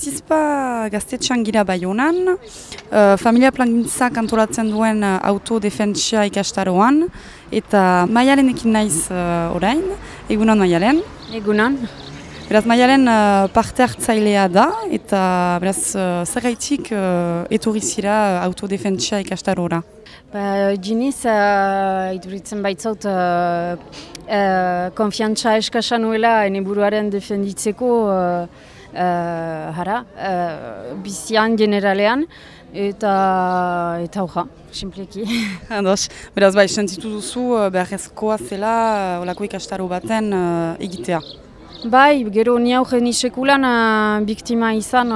Zizpa gaztetxean gira Baionan, familia plangintzak antolatzen duen autodefentsia ikastaroan, eta Maialenekin naiz orain, egunon Maialen. Egunon. Beraz, Maialen parte hartzailea da, eta beraz, zergaitik etorri zira autodefentsia ikastarora? Giniz, iduritzen baitzaut, konfiantza eskasa nuela ene buruaren defenditzeko bizian generalean, eta hoja, simpleki. Ados, beraz, bai, sentitu duzu beharrezkoa zela olako ikastaro baten egitea. Bai, gero ni aurren sekulan biktima izan,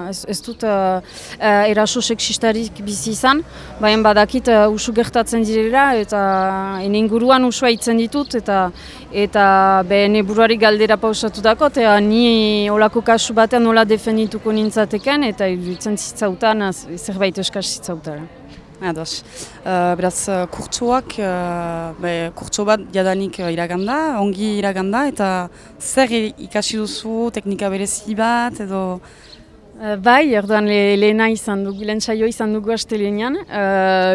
ez dut eraso seksistarik bizi izan, baina badakit usu gertatzen direla eta ene inguruan usua itzen ditut eta ene buruari galdera pausatu dako, eta ni olako kasu batean nola defendituko nintzateken eta iruditzen zitzautan zerbait eskas zitzautara. Ados. Beraz, kurtsoak, kurtso bat jadanik iraganda, ongi iraganda, eta zer ikasi duzu, teknika berezi bat, edo? Bai, erdoan lehena izan dugu, lehen saio izan dugu astelenean,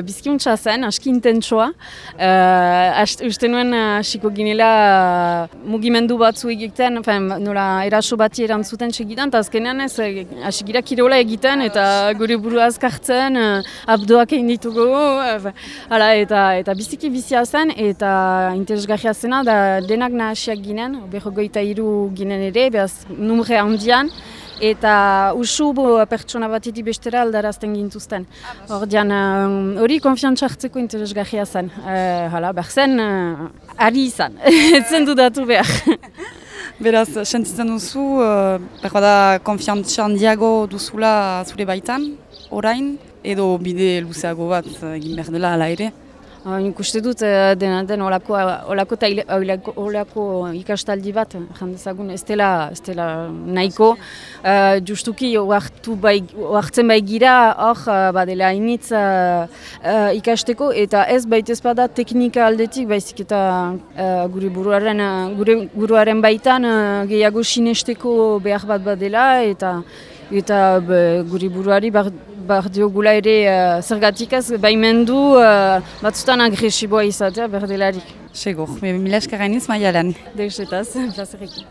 bizkiuntza zen, aski intentsoa, uste nuen hasiko ginela mugimendu batzu egiten, nola eraso bati erantzuten segidan, eta azkenean ez, hasi gira kirola egiten, eta gure burua azkartzen, abdoak egin ditugu, eta biziki bizia zen, eta interesgarria zena, da denak nahasiak ginen, 23 ginen ere, behaz numre handian, eta usu pertsona batetik bestera aldarazten gintuzten. Ordean, hori konfiantza hartzeko interesgarria zen. Behar zen, ari izan, etzen dudatu behar. Beraz, sentitzen duzu, behar da konfiantza handiago duzula zure baitan, orain, edo bide luzeago bat egin behar dela ala ere? Nik uste dut den olako ikastaldi bat, jandezagun, ez dela nahiko. Justuki oartzen bai gira, hor badela hainitz ikasteko, eta ez baitez bada teknika aldetik, baizik eta gure buruaren baitan gehiago sinesteko behar bat badela, eta gure buruari behar diogula ere zergatik ez baimendu batzutan agresiboa izatea berdelarik. Segur, mila esker gainiz Maialen. Deusetaz, plazerekin.